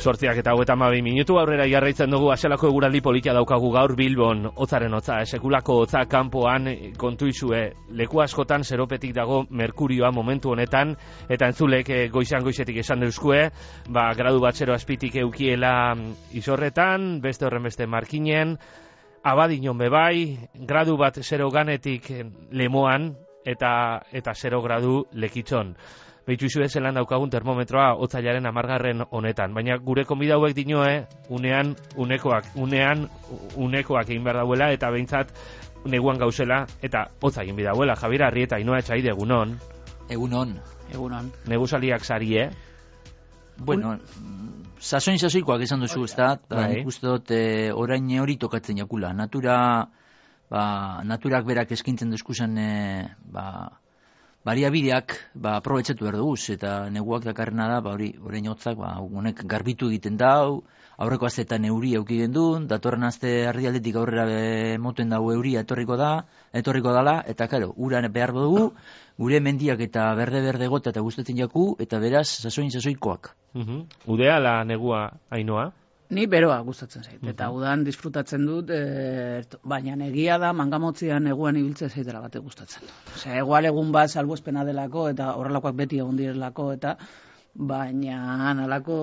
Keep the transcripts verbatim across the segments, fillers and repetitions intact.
Sortziak eta hogeita hamabi minutu aurrera jarraitzen dugu. Aselako eguraldi politia daukagu gaur Bilbon, hotzaren hotza, sekulako hotza kanpoan, kontu izue, leku askotan zeropetik dago merkurioa momentu honetan, eta entzulek goizan goizetik esan deuskue, ba, gradu bat zero azpitik eukiela izorretan, beste horren beste markinen, abadinon bebai, gradu bat zero ganetik lemoan, eta eta zero gradu lekitzon. Behitu izue zelan daukagun termometroa otzailaren amargarren honetan. Baina gure konbida hauek dinoe, unean unekoak, unean unekoak egin behar dauela, eta behintzat neguan gauzela, eta hotza egin behar dauela. Javier Arrieta, Inoa Etxaide, egunon. Egunon. Egunon. Negusaliak sarie. Bueno, sasoin sasoikoak esan duzu, ez da? Nik uste dut e, orain hori tokatzen jakula. Natura, ba, naturak berak eskintzen duzkuzan, e, ba, bariabideak ba aprobetxatu behar dugu, eta neguak dakarrena da, ba hori, orain hotzak, ba honek garbitu egiten dau, aurreko asteetan euri eduki gendun, datorren aste erdialdetik aurrera moten dago euria etorriko da, etorriko dala, eta karo, uran behar dugu, gure mendiak eta berde-berde gota eta gustatzen jaku, eta beraz, sasoin sasoikoak. Uh-huh. Udea la negua, Ainoa? Ni beroa gustatzen zait, eta uh-huh. udan disfrutatzen dut, e, baina egia da mangamotzian neguan ibiltzen zaitela bate gustatzen. Osea, egual egun bat salbuespena delako, eta horrelakoak beti egon direlako, eta baina analako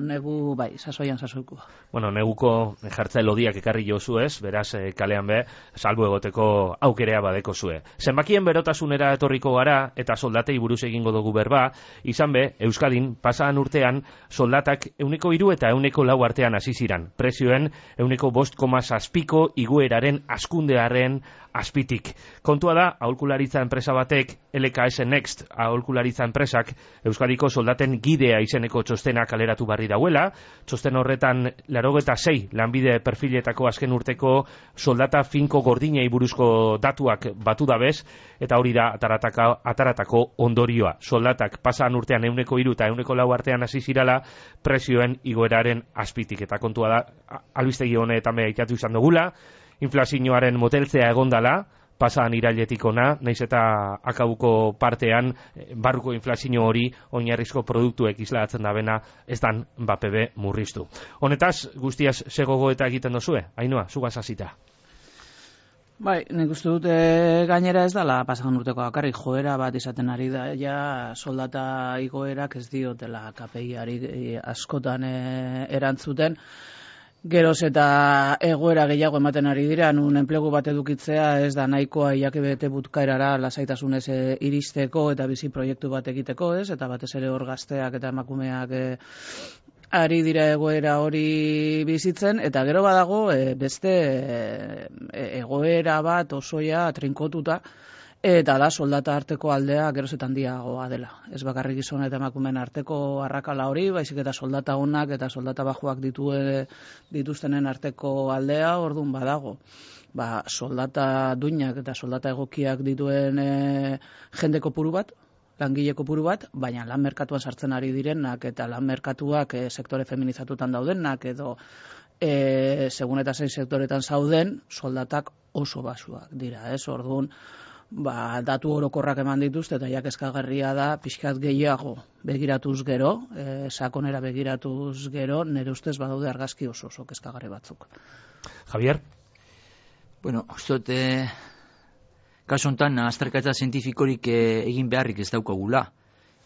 negu, bai, sasoian sasoikoa. Bueno, neguko jartza elodiak ekarri jozu ez, beraz, e, kalean be, salbu egoteko aukerea badeko zue. Zenbakien berotasunera etorriko gara, eta soldatei buruz egingo dugu berba, izan be, Euskadin, pasaan urtean, soldatak euneko hiru eta euneko lau artean hasi ziran. Prezioen, euneko bost koma zazpiko igueraren askundearen azpitik. Kontua da, aholkularitza enpresa batek, L K S Next aholkularitza enpresak, Euskadiko soldaten gidea izeneko txostena kaleratu barri dauela, txosten horretan laurogeta sei lanbide perfiletako azken urteko soldata finko gordinei buruzko datuak batu dabez, eta hori da atarataka, ataratako ondorioa. Soldatak pasan urtean euneko hiru eta euneko lau artean hasi zirala prezioen igoeraren azpitik. Eta kontua da, albistegi honetan beha itatu izan dugula, inflazioaren moteltzea egondala, pasan irailetik ona, naiz eta akabuko partean barruko inflazio hori oinarrizko produktuek islatzen dabena ez dan bapebe murriztu. Honetaz, guztiaz segogo eta egiten dozue? Ainoa, zugaz hasita. Bai, nik uste dute gainera ez dala pasan urteko bakarrik joera bat izaten ari da, ja soldata igoerak ez diotela K P I-ari askotan e, erantzuten, geroz eta egoera gehiago ematen ari dira, nun enplegu bat edukitzea ez da nahikoa iakebete butkaerara lasaitasunez e, iristeko eta bizi proiektu bat egiteko, ez? Eta batez ere hor gazteak eta emakumeak e, ari dira egoera hori bizitzen, eta gero badago e, beste e, egoera bat osoia trinkotuta, eta da soldata arteko aldea geroz eta handiagoa dela. Ez bakarrik gizon eta emakumeen arteko arrakala hori, baizik eta soldata onak eta soldata bajuak ditue, dituztenen arteko aldea ordun badago. Ba, soldata duinak eta soldata egokiak dituen e, jende kopuru bat, langile kopuru bat, baina lan merkatuan sartzen ari direnak eta lan merkatuak e, sektore feminizatutan daudenak edo e, segun eta zein sektoretan zauden, soldatak oso basuak dira, ez? Orduan, ba, datu orokorrak eman dituzte eta jakezkagarria da pixkat gehiago begiratuz gero, e, sakonera begiratuz gero, nire ustez badaude argazki oso oso kezkagarri batzuk. Javier? Bueno, ustot, e, kasu honetan, azterketa zientifikorik e, egin beharrik ez daukagula.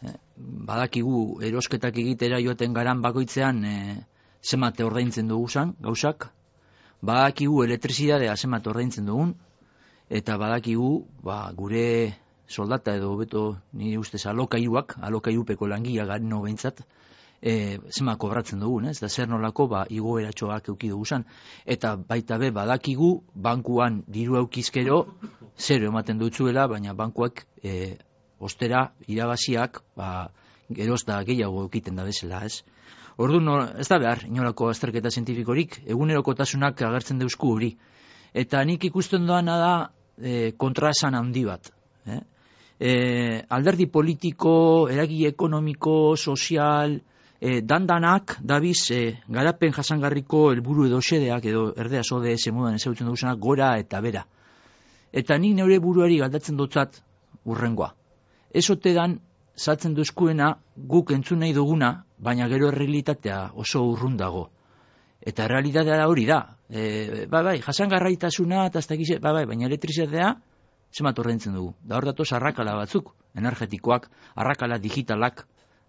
E, badakigu erosketak egitera joaten garan bakoitzean e, zenbat ordaintzen dugu zan, gauzak. Badakigu elektrizidadea zenbat ordaintzen dugun, eta badakigu, ba, gure soldata edo beto nire ustez alokaiuak, alokailupeko langia garen no behintzat, e, zema kobratzen dugun, ez? Da zer nolako, ba, igoeratxoak euki dugu zan. Eta baita be, badakigu, bankuan diru eukizkero, zero ematen dutzuela, baina bankuak e, ostera irabaziak, ba, geroz da gehiago eukiten da bezala, ez? Orduan, no, ez da behar, inolako azterketa zientifikorik, egunerokotasunak agertzen deusku hori. Eta nik ikusten doana da, E, kontraesan handi bat. Eh? E, alderdi politiko, eragile ekonomiko, sozial, e, dandanak, dabiz, e, garapen jasangarriko helburu edo xedeak, edo erdea sode eze modan ezautzen duguzenak, gora eta bera. Eta nik neure buruari galdatzen dutzat urrengoa. Ez ote dan, zatzen duzkuena, guk entzun nahi duguna, baina gero errealitatea oso urrun dago. Eta errealitatea hori da. E, bai, bai, jasangarraitasuna eta ez dakize, bai, bai, baina elektrizitatea zemat ordaintzen dugu. Da hor datoz arrakala batzuk, energetikoak, arrakala digitalak,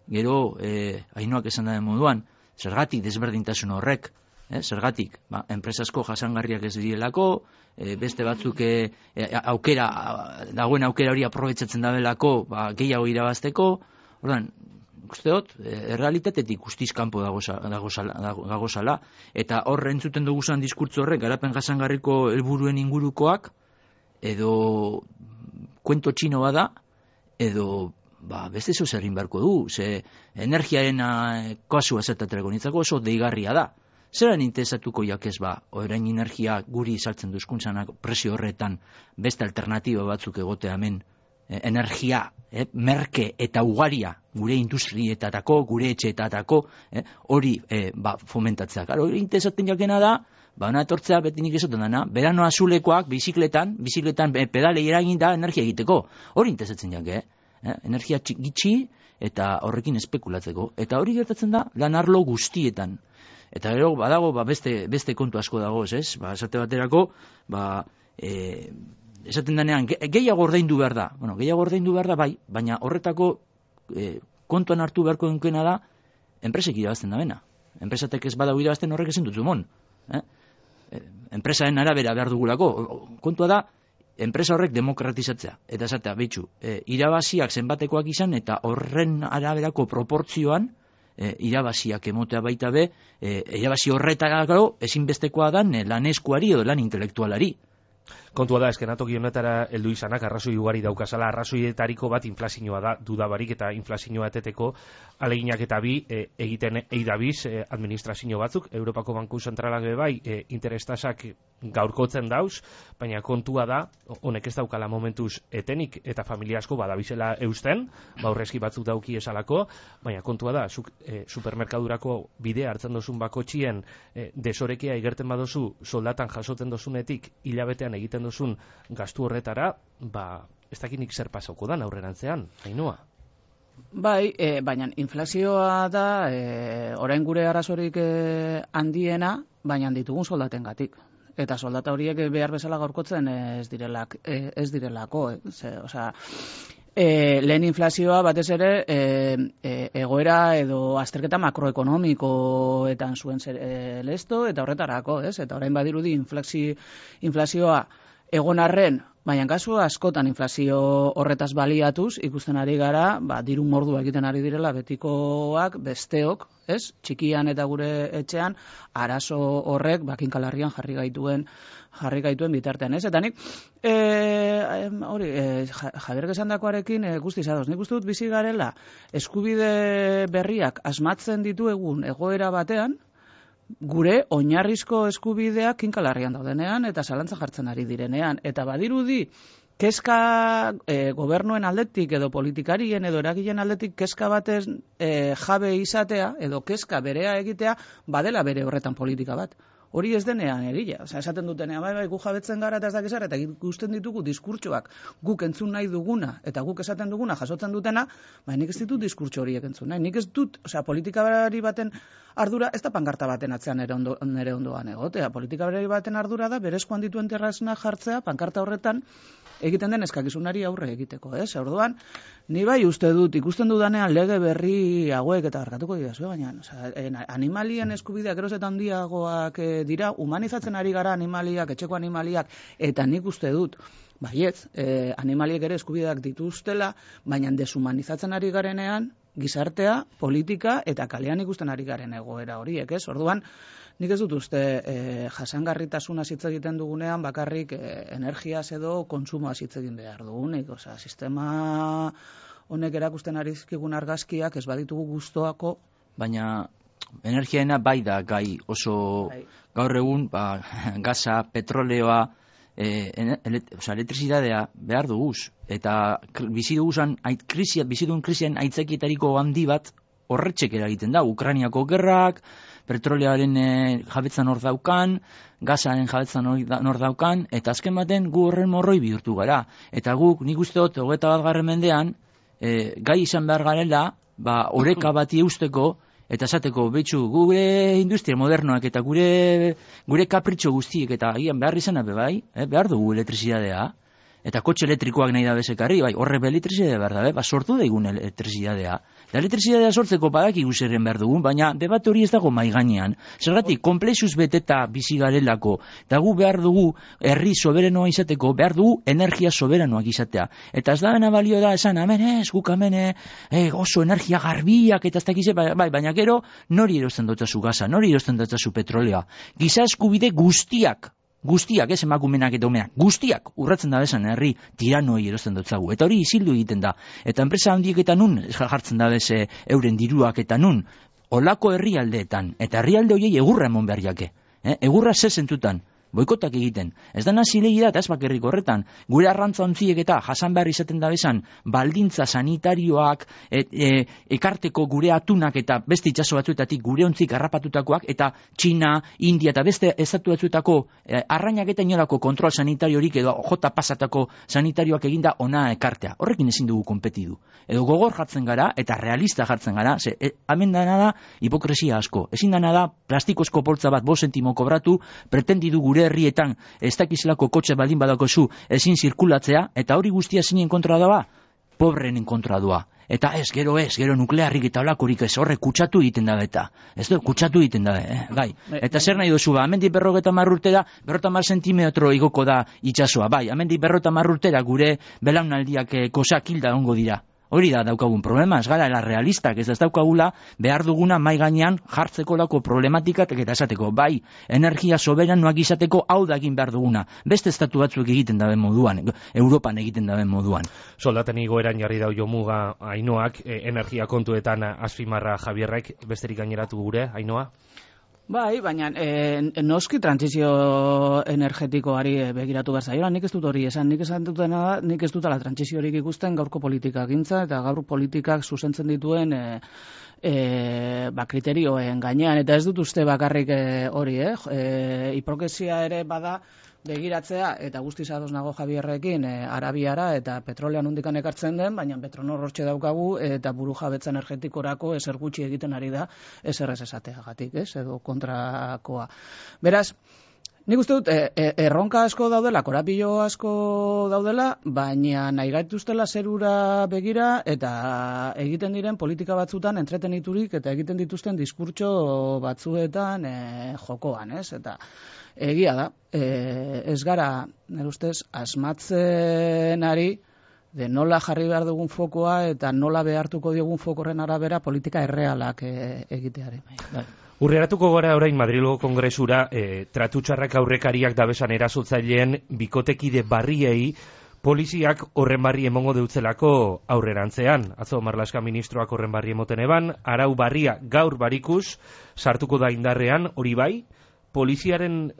gero e, Ainhoak esan da moduan, zergatik desberdintasun horrek, eh, zergatik, ba, enpresasko jasangarriak ez direlako, e, beste batzuk e, e, aukera, dagoen aukera hori aprobetsatzen dabelako, ba, gehiago irabazteko, ordan, uste dut, errealitatetik guztiz kanpo dagozala, eta hor entzuten duguzan diskurtzo horrek, garapen jasangarriko helburuen ingurukoak, edo kuento txino bada, edo ba, beste zo zerrin beharko du, ze energiaren kasua zertaterako nintzako oso deigarria da. Zeran interesatuko jakez ba, orain energia guri saltzen duzkuntzanak presio horretan beste alternatiba batzuk egotea hemen, eh, energia, eh, merke eta ugaria gure industrietatako, gure etxeetatako, eh, hori eh, ba, fomentatzea. Claro, hori interesatzen jakena da, ba, ona etortzea beti nik esaten dana, berano azulekoak bizikletan, bizikletan pedalei eragin da energia egiteko. Hori interesatzen jake, eh? Energia gitxi eta horrekin espekulatzeko. Eta hori gertatzen da lan arlo guztietan. Eta gero badago ba, beste, beste kontu asko dagoz, ez? Ba, esate baterako, ba, e, esaten denean, ge, gehiago ordaindu behar da. Bueno, gehiago ordaindu behar da, bai, baina horretako e, kontuan hartu beharko dunkena da, enpresek irabazten da bena. Enpresatek ez badau irabazten horrek ezin dut zumon. Eh? E, enpresaren arabera behar dugulako. Kontua da, enpresa horrek demokratizatzea. Eta esatea, behitxu, e, irabaziak zenbatekoak izan, eta horren araberako proportzioan, E, irabaziak emotea baita be, e, irabazi horretarako ezinbestekoa da lan eskuari edo lan intelektualari. Kontua da, eskenatoki honetara heldu izanak arrazoi ugari daukazala, arrazoietariko bat inflazioa da, dudabarik eta inflazioa eteteko aleginak eta bi e, egiten eidabiz e, administrazio batzuk, Europako Banku Zentralak bai e, interestasak gaurkotzen dauz, baina kontua da, honek ez daukala momentuz etenik eta familia asko badabizela eusten, baurrezki batzuk dauki esalako, baina kontua da, zuk, e, supermerkadurako bidea hartzen dozun bakotxien e, desorekia egerten badozu soldatan jasoten dozunetik hilabetean egiten duzun gastu horretara, ba, ez dakinik zer pasauko da aurrerantzean, Ainhoa. Bai, e, baina inflazioa da e, orain gure arazorik e, handiena, baina ditugun soldatengatik. Eta soldata horiek behar bezala gaurkotzen ez direlak, e, ez direlako, e, ze, osea, E, lehen inflazioa batez ere e, e, egoera edo azterketa makroekonomikoetan zuen zer, e, lesto eta horretarako, ez? Eta orain badirudi inflazio, inflazioa egon arren, baina kasu askotan inflazio horretaz baliatuz, ikusten ari gara, ba, diru mordua egiten ari direla betikoak, besteok, ez? Txikian eta gure etxean, arazo horrek bakinkalarrian jarri gaituen jarri gaituen bitartean, ez? Eta nik, e, hori, e, Javier esandakoarekin e, guztiz ados. Nik uste dut bizi garela eskubide berriak asmatzen dituegun egoera batean, gure oinarrizko eskubideak kinkalarrian daudenean eta zalantza jartzen ari direnean. Eta badirudi, kezka e, gobernuen aldetik edo politikarien edo eragileen aldetik kezka batez e, jabe izatea edo kezka berea egitea badela bere horretan politika bat. Hori ez denean egia. Osea, esaten dutenean, bai, bai, gu jabetzen gara eta ez dakizar, eta ikusten ditugu diskurtsoak guk entzun nahi duguna eta guk esaten duguna jasotzen dutena, bai, nik ez ditut diskurtso horiek entzun nahi. Nik ez dut, osea, politikari baten ardura, ez da pankarta baten atzean nere, ondo, nere ondoan egotea. Politikari baten ardura da, berezkoan dituen terrazna jartzea, pankarta horretan, egiten den eskakizunari aurre egiteko, ez? Orduan, ni bai uste dut, ikusten dudanean lege berri hauek eta barkatuko didazue, baina osea, animalien eskubideak geroz eta handiagoak e, dira, humanizatzen ari gara animaliak, etxeko animaliak, eta nik uste dut, baietz, e, animaliek ere eskubideak dituztela, baina deshumanizatzen ari garenean, gizartea, politika eta kalean ikusten ari garen egoera horiek, ez? Orduan, nik ez dut uste e, jasangarritasuna hitz egiten dugunean bakarrik e, energiaz edo kontsumoa hitz egin behar dugunik, osea, sistema honek erakusten ari zizkigun argazkiak ez baditugu gustoako, baina energiaena bai da gai oso bai. Gaur egun, ba, gaza, petroleoa, e, elet, osea, elektrizitatea behar duguz, eta bizi duguzan krisia, bizi dugun krisian aitzakietariko handi bat horretxek eragiten da, Ukrainiako gerrak, petrolearen e, jabetzan hor daukan, gazaren jabetzan hor daukan, eta azken baten gu horren morroi bihurtu gara. Eta guk, nik uste dut, hogeita bat garren mendean, e, gai izan behar garela, ba, oreka bati eusteko, eta esateko betxu gure industria modernoak eta gure gure kapritxo guztiek eta agian behar izan abe bai, eh, behar dugu elektrizidadea, eta kotxe elektrikoak nahi da bezekarri, bai, horre be elektrizidadea behar da, ba, sortu daigun elektrizidadea. Da elektrizidadea sortzeko badakigu zerren behar dugun, baina debate hori ez dago mai gainean. Zergatik, komplexuz beteta bizi garelako, eta gu behar dugu herri soberanoa izateko, behar dugu energia soberanoak izatea. Eta ez da bena balio da, esan, hemen ez, guk hemen eh, oso energia garbiak, eta ez dakize, bai, bai, baina gero, nori erosten dotzazu gaza, nori erosten dotzazu petrolea. Giza eskubide guztiak, guztiak, ez emakumenak eta umeak, guztiak urratzen da bezan herri tiranoi erosten dutzagu. Eta hori isildu egiten da. Eta enpresa handiek eta nun jartzen da beze euren diruak eta nun olako herrialdeetan. Eta herrialde horiei egurra emon behar jake. Eh? Egurra ze zentutan. Boikotak egiten. Ez da nazilegi da, eta ez bakerrik horretan. Gure arrantza ontziek eta jasan behar izaten da bezan, baldintza sanitarioak, et, e, ekarteko gure atunak eta beste itxaso batzuetatik gure ontzik harrapatutakoak, eta Txina, India eta beste estatu batzuetako e, arrainak eta inolako kontrol sanitariorik edo jota pasatako sanitarioak eginda ona ekartea. Horrekin ezin dugu konpetidu. Edo gogor jartzen gara, eta realista jartzen gara, ze, e, hemen dana da hipokresia asko. Ezin dana da plastikozko poltza bat bost zentimo kobratu, pretendidu gure herrietan ez dakizlako kotxe baldin badakozu ezin zirkulatzea, eta hori guztia zinen kontra doa, pobrenen kontra doa. Eta ez, gero ez, gero nuklearrik eta olakorik ez, horre kutsatu egiten da eta. Ez du, kutsatu egiten da, eh, gai. Eta zer nahi dozu, ba, amendik berrogeta marrurtera, berrota mar sentimetro igoko da itxasoa, bai, amendik berrota marrurtera gure belaunaldiak eh, kosak hilda ongo dira. Hori da daukagun problema, ez gara la realistak, ez ez daukagula behar duguna mai gainean jartzeko lako problematikak eta esateko, bai, energia soberanoak izateko hau da egin behar duguna. Beste estatu batzuk egiten daben moduan, Europan egiten daben moduan. Soldaten igoeran jarri dau jomuga Ainoak, e, energia kontuetan azpimarra Javierrek, besterik gaineratu gure, Ainoa? Bai, baina e, noski trantsizio energetikoari begiratu behar zaiola, nik ez dut hori esan, nik esan dutena da, nik ez dutela trantsiziorik ikusten gaurko politikak gintza, eta gaur politikak zuzentzen dituen e, e, ba, kriterioen gainean, eta ez dut uste bakarrik e, hori, eh? E, hipokresia ere bada, begiratzea, eta guztiz ados nago Javierrekin, e, Arabiara eta petrolean hundikan ekartzen den, baina Petronor hortxe daukagu, eta buru jabetza energetikorako ezer gutxi egiten ari da, ezer ez esateagatik, ez, edo kontrakoa. Beraz, nik uste dut, e, e, erronka asko daudela, korapilo asko daudela, baina nahi gaituztela zerura begira, eta egiten diren politika batzutan entreteniturik, eta egiten dituzten diskurtso batzuetan e, jokoan, ez, eta egia da, e, ez gara, nire ustez, asmatzen ari, de nola jarri behar dugun fokoa eta nola behartuko diogun fokorren arabera politika errealak e, egiteari. Bai. Urreratuko gara orain Madrilgo Kongresura, e, tratutxarrak aurrekariak dabesan erasotzaileen bikotekide barriei poliziak horren barri emongo deutzelako aurrerantzean. Atzo Marlaska ministroak horren barri emoten eban, arau barria gaur barikuz sartuko da indarrean, hori bai, poliziaren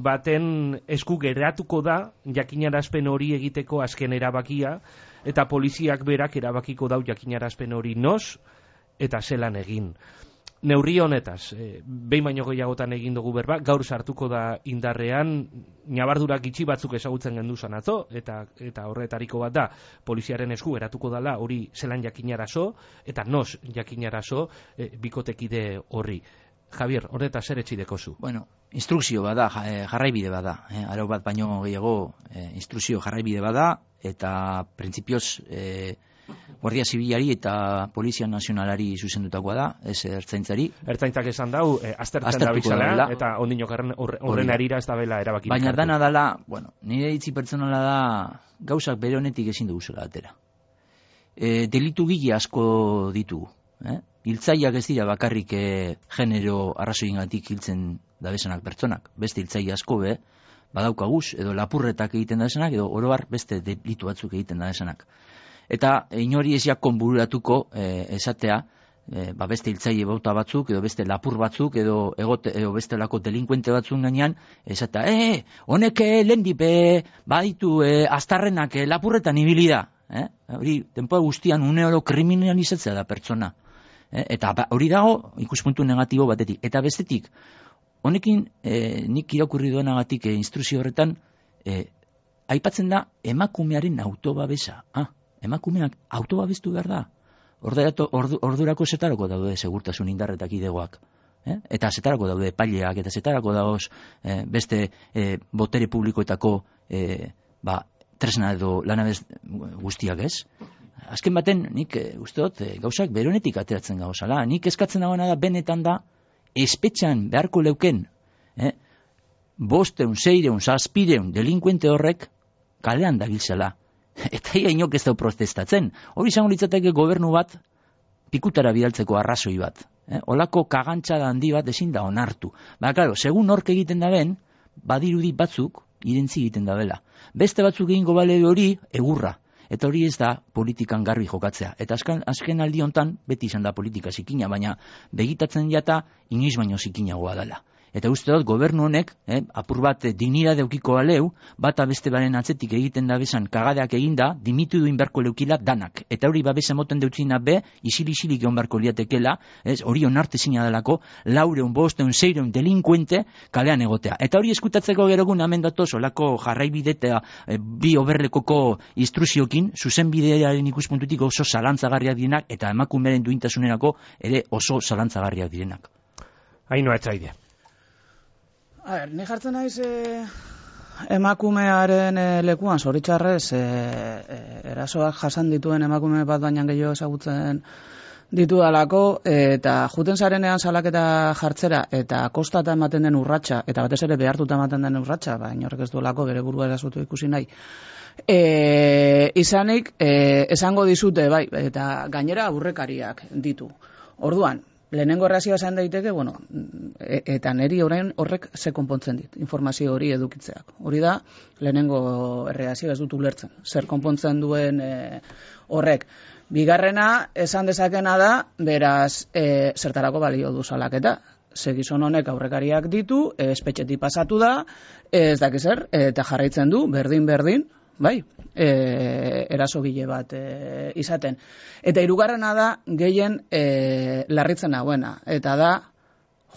baten esku geratuko da jakinarazpen hori egiteko azken erabakia, eta poliziak berak erabakiko dau jakinarazpen hori noz eta zelan egin. Neurri honetaz, e, behin baino gehiagotan egin dugu berba, gaur sartuko da indarrean, nabardurak itxi batzuk ezagutzen genduzan atzo, eta, eta horretariko bat da, poliziaren esku eratuko dala hori zelan jakinarazo, eta noz jakinarazo e, bikotekide horri. Javier, horreta zer etxideko zu? Bueno, instrukzio bada, jarraibide bada, eh, arau bat baino gehiago eh, instrukzio jarraibide bada, eta printzipioz eh, Guardia Zibilari eta Polizia Nazionalari zuzendutakoa da, ez ertzaintzari. Ertzaintzak esan dau, eh, aztertzen da bizala, eta ondino horren arira ez da bela erabaki. Baina dana dala, bueno, nire itzi pertsonala da, gauzak bere honetik ezin dugu zela atera. E, delitu gile asko ditugu, eh? Hiltzaileak ez dira bakarrik e, genero arrazoiengatik hiltzen dabezanak pertsonak, beste hiltzaile asko be, badaukaguz, edo lapurretak egiten dabezanak, edo orobar beste delitu batzuk egiten dabezanak. Eta inori eziak konbururatuko e, esatea, e, ba beste hiltzaile bauta batzuk, edo beste lapur batzuk, edo, egote, edo bestelako delinkuente batzuk gainean, esatea, e, honek lehendipe baditu e, aztarrenak e, lapurretan ibili da. Eh? Hori, denpoa guztian une oro kriminalizatzea da pertsona. Eta hori dago ikuspuntu negatibo batetik. Eta bestetik, honekin e, nik irakurri duenagatik e, instrukzio horretan, e, aipatzen da emakumearen autobabesa. Ah, emakumeak autobabestu behar da. Ordurako, ordu, ordurako zetarako daude segurtasun indarretak idegoak. Eh? Eta zetarako daude epaileak, eta zetarako dagoz eh, beste eh, botere publikoetako eh, ba, tresna edo lanabez guztiak ez. Azken baten, nik eh, uste dut, eh, gauzak beronetik ateratzen gauzala. Nik eskatzen dagoena da, benetan da, espetxan beharko leuken, eh? bosteun, seireun, zazpireun, delinkuente horrek kalean dabiltzela. Eta ia inok ez dau protestatzen. Hori izango litzateke gobernu bat, pikutara bidaltzeko arrazoi bat. Eh? Olako kagantxada handi bat ezin da onartu. Ba, klaro, segun hork egiten da ben, badirudi batzuk irentzi egiten da bela. Beste batzuk egingo bale hori egurra. Eta hori ez da politikan garbi jokatzea. Eta azken, azken aldi hontan beti izan da politika zikina, baina begitatzen jata inoiz baino zikinagoa dela. Eta uste dut gobernu honek, eh, apur bat dignidade eukiko aleu, bata beste baren atzetik egiten da bezan kagadeak eginda, dimitu duin beharko leukila danak. Eta hori babesa moten deutzina be, isil-isilik egon beharko liatekela, ez, hori onartezina delako, laureun, bosteun, seireun delinkuente kalean egotea. Eta hori eskutatzeko gerogun hemen datoz, olako jarraibidetea eh, bi oberlekoko instruziokin, zuzen bidearen ikuspuntutik oso zalantzagarriak direnak, eta emakumeren duintasunerako ere oso zalantzagarriak direnak. Ainhoa Etxaide. A ber, ni jartzen naiz eh, emakumearen eh, lekuan, zoritxarrez, eh, eh, erasoak jasan dituen emakume bat baina gehiago ezagutzen ditudalako, eh, eta juten zarenean salaketa jartzera, eta kostata ematen den urratsa, eta batez ere behartuta ematen den urratsa, baina horrek ez duelako bere burua erasotu ikusi nahi. E, izanik, e, esango dizute, bai, eta gainera aurrekariak ditu. Orduan, lehenengo errazioa esan daiteke, bueno, e, eta neri orain horrek ze konpontzen dit, informazio hori edukitzeak. Hori da, lehenengo errazioa ez dut ulertzen, zer konpontzen duen e, horrek. Bigarrena, esan dezakena da, beraz, e, zertarako balio du salaketa. Ze gizon honek aurrekariak ditu, e, espetxetik pasatu da, e, ez dakiz zer, eta jarraitzen du, berdin-berdin, bai, e, erasogile bat e, izaten. Eta hirugarrena da gehien e, larritzen nagoena, eta da,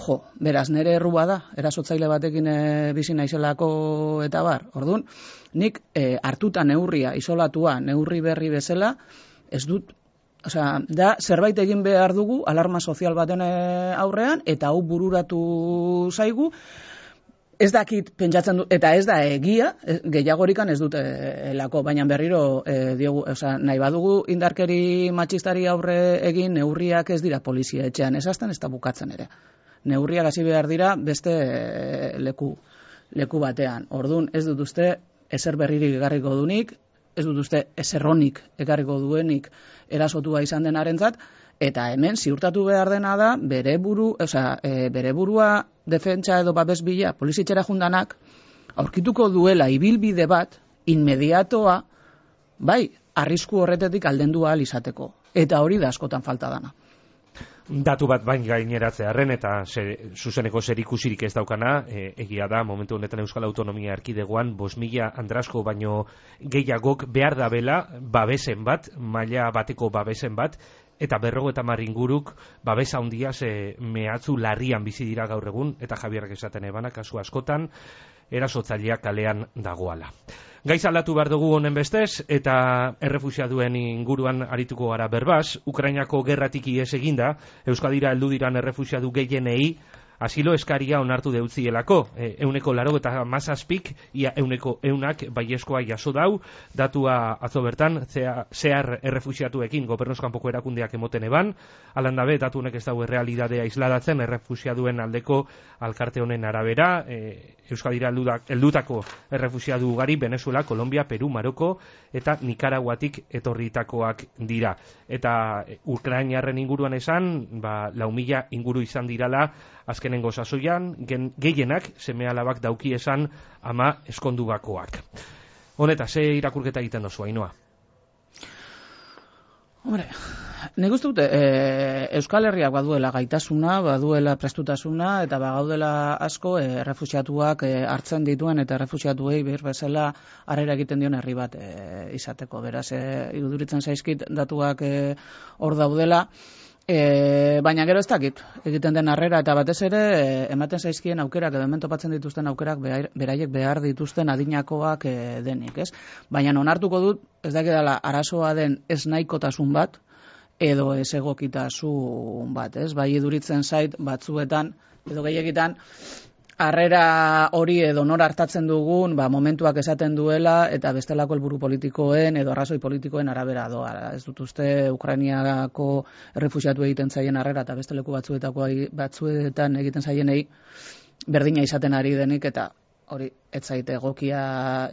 jo, beraz nere errua da, erasotzaile batekin e, bizi naizelako eta bar. Orduan, nik e, hartuta neurria, isolatua, neurri berri bezala, ez dut, osea, da zerbait egin behar dugu alarma sozial baten aurrean, eta hau bururatu zaigu. Ez dakit pentsatzen du, eta ez da egia, gehiagorikan ez dute elako, baina berriro e, diogu, oza, nahi badugu indarkeri matxistari aurre egin, neurriak ez dira polizia etxean, ez azten ez da bukatzen ere. Neurriak hasi behar dira beste e, leku, leku batean. Orduan ez dut uste ezer berririk egarriko dunik, ez dut uste ezerronik egarriko duenik erasotua izan denarentzat, eta hemen ziurtatu behar dena da bere buru, osea, e, bere burua defentsa edo babes bila polizitxera jundanak aurkituko duela ibilbide bat inmediatoa, bai, arrisku horretetik aldendu ahal izateko. Eta hori da askotan falta dana. Datu bat bain gaineratzearren eta zer, zuzeneko zerikusirik ez daukana, e, egia da, momentu honetan Euskal Autonomia Erkidegoan bost mila andrasko baino gehiagok behar dabela babesen bat, maila bateko babesen bat, eta berrogo eta inguruk babesa handia ze mehatzu larrian bizi dira gaur egun, eta Javierrek esaten ebana, kasu askotan, erasotzaileak kalean dagoala. Gaiz aldatu behar dugu honen bestez, eta errefuxiaduen inguruan arituko gara berbaz, Ukrainako gerratik ihes eginda, Euskadira heldu diran errefuxiadu gehienei, asilo eskaria onartu deutzielako, e, euneko laro eta mazazpik, ia euneko eunak baieskoa jaso dau, datua atzo bertan, zehar errefuxiatuekin gobernuzkanpoko erakundeak emoten eban, alandabe, datu honek ez dago errealidadea isladatzen, errefuxiaduen aldeko alkarte honen arabera, e, Euskadira heldutako errefuxiadu ugari, Venezuela, Kolombia, Peru, Maroko eta Nikaraguatik etorritakoak dira. Eta Ukrainarren inguruan esan, ba, lau mila inguru izan dirala azkenengo sasoian, gehienak seme alabak dauki esan ama eskondugakoak. Honeta, ze irakurketa egiten dozu, Ainhoa? Hombre, nik uste dute, e, Euskal Herriak baduela gaitasuna, baduela prestutasuna, eta bagaudela asko e, errefuxiatuak e, hartzen dituen, eta errefuxiatuei behir bezala harrera egiten dion herri bat e, izateko. Beraz, e, iruduritzen zaizkit datuak e, hor daudela, e, baina gero ez dakit, egiten den harrera, eta batez ere, e, ematen zaizkien aukerak, edo hemen topatzen dituzten aukerak, beraiek behar dituzten adinakoak e, denik, ez? Baina onartuko dut, ez dakidala arazoa den ez nahikotasun bat, edo ez egokitasun bat, ez? Bai iduritzen zait batzuetan, edo gehiegitan, harrera hori edo nor hartatzen dugun, ba, momentuak esaten duela, eta bestelako helburu politikoen edo arrazoi politikoen arabera doa. Ez dut uste Ukrainiako errefuxiatu egiten zaien harrera, eta beste leku batzuetako batzuetan egiten zaienei berdina izaten ari denik, eta hori ez zaite egokia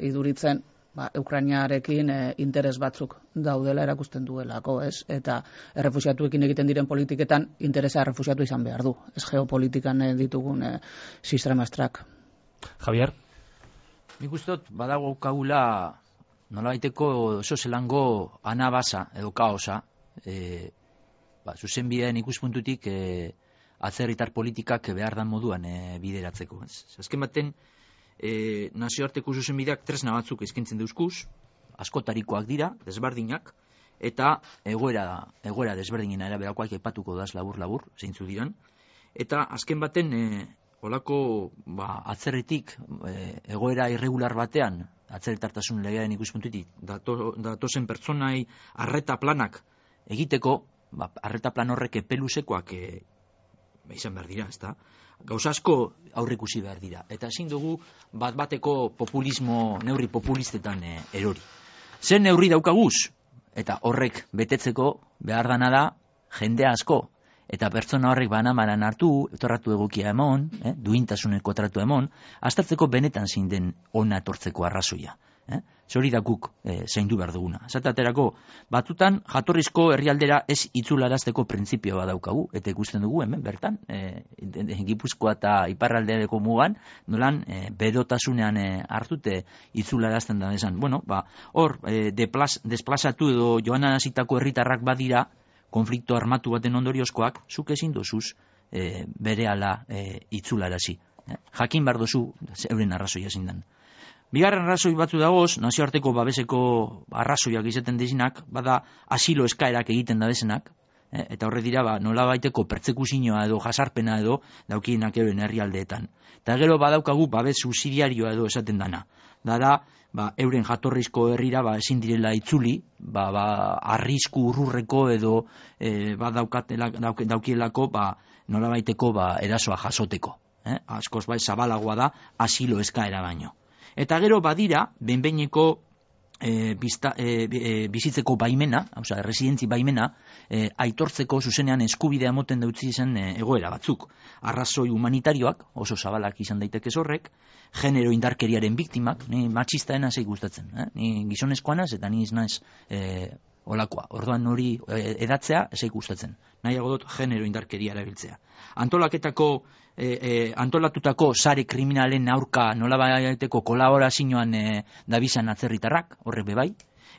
iduritzen, ba, Ukrainiarekin e, interes batzuk daudela erakusten duelako, ez? Eta errefuxiatuekin egiten diren politiketan interesa errefuxiatu izan behar du, ez geopolitikan e, ditugun e, sistemastrak. Javier? Nik uste dut, badago kagula nolabaiteko oso zelango anabasa edo kaosa, e, ba, zuzen bidean ikuspuntutik e, atzerritar politikak behar dan moduan e, bideratzeko. Ez? Azken baten, E, nazioarteko zuzenbideak tresna batzuk eskaintzen dauzkuz, askotarikoak dira, desberdinak, eta egoera, egoera desberdinen araberakoak aipatuko daz labur-labur, zeintzu diran, eta azken baten, e, olako ba, atzerritik e, egoera irregular batean, atzerritartasun legearen ikuspuntutik, dato, datozen pertsonai arreta planak egiteko, ba, arreta plan horrek epelusekoak e, izan behar dira, ez da? Gauza asko aurrikusi behar dira. Eta ezin dugu bat bateko populismo, neurri populistetan e, erori. Zer neurri daukaguz? Eta horrek betetzeko behar dana da jende asko. Eta pertsona horrek banamaran hartu, etorratu egokia emon, eh, duintasuneko tratu emon, aztertzeko benetan zein den ona etortzeko arrazoia. Eh? Zori da guk eh, zaindu behar duguna. Zataterako, batutan jatorrizko herrialdera ez itzularazteko printzipio bat daukagu, eta ikusten dugu hemen bertan, eh, Gipuzkoa eta iparraldeako mugan, nolan eh, berotasunean eh, hartute itzularazten da esan. Bueno, ba, hor, eh, deplaz, desplazatu edo joan anazitako herritarrak badira, konflikto armatu baten ondoriozkoak, zuk ezin dozuz eh, bere ala eh, itzularazi. Eh? Jakin behar dozu, euren arrazoia zindan. Bigarren arrazoi batzu dagoz, nazioarteko babeseko arrazoiak izaten dizinak, bada asilo eskaerak egiten da desenak, eh, eta horre dira ba, nola baiteko pertsekuzioa edo jasarpena edo daukienak euren herrialdeetan. Eta gero badaukagu babes subsidiarioa edo esaten dana. Dara, ba, euren jatorrizko herrira ba, ezin direla itzuli, ba, ba, arrisku urrurreko edo e, ba, daukielako ba, nola baiteko ba, erasoa jasoteko. Eh? Askoz bai zabalagoa da asilo eskaera baino. Eta gero badira, benbeineko e, bizta, e, e, bizitzeko baimena, osea, residentzi baimena, e, aitortzeko zuzenean eskubidea moten dautzi izan e, egoera batzuk. Arrazoi humanitarioak, oso zabalak izan daiteke horrek, genero indarkeriaren biktimak, ni matxistaena zei gustatzen, eh? Ni gizonezkoa naz eta ni naiz e, olakoa. Orduan hori e, edatzea zei gustatzen. Nahiago dut genero indarkeria erabiltzea. Antolaketako E, e, antolatutako sare kriminalen aurka nolabaiteko kolaborazioan e, dabizan atzerritarrak, horrek bebai,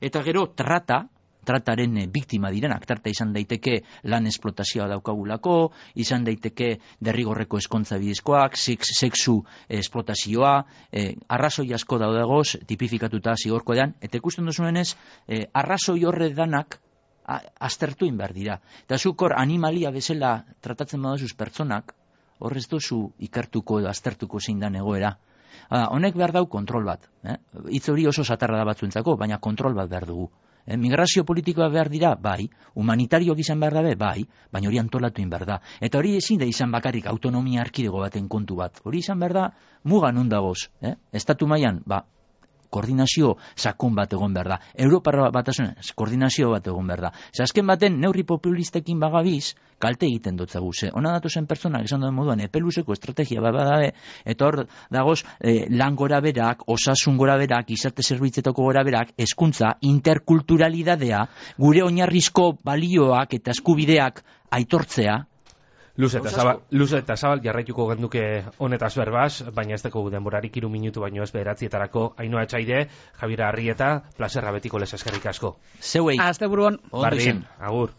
eta gero trata, trataren e, biktima direnak, trata izan daiteke lan esplotazioa daukagulako, izan daiteke derrigorreko eskontza bidezkoak, sex, sexu esplotazioa, e, arrazoi asko daudagoz, tipifikatuta zigorko edan, eta ikusten duzuenez, e, arrazoi horre danak aztertuin behar dira. Eta zuk hor animalia bezala tratatzen badazuz pertsonak, horrez dozu ikertuko edo aztertuko zein dan egoera. Ha, honek behar dau kontrol bat. Eh? Hitz hori oso zatarra da batzuentzako, baina kontrol bat behar dugu. Eh? Migrazio politikoa behar dira, bai. Humanitarioak izan behar dabe, bai. Baina hori antolatuin behar da. Eta hori ezin da izan bakarrik autonomia erkidego baten kontu bat. Hori izan behar da, mugan ondagoz. Eh? Estatu mailan, ba, koordinazio sakon bat egon behar da. Europar batasunen koordinazio bat egon behar da. Ze azken baten neurri populistekin bagabiz, kalte egiten dutzagu. Ze ona datozen pertsonak esan duen moduan epeluzeko estrategia bat badabe, eta hor dagoz eh, lan gora berak, osasun gora berak, izate zerbitzetako gora berak, hezkuntza, interkulturalidadea, gure oinarrizko balioak eta eskubideak aitortzea. Luze eta zabal, luze eta zabal jarraituko genduke honetaz berbaz, baina ez deko denborarik hiru minutu baino ez bederatzietarako. Ainhoa Etxaide, Javier Arrieta, plazerra betiko les eskerrik asko. Zeuei. Aste buruan. Bardin, agur.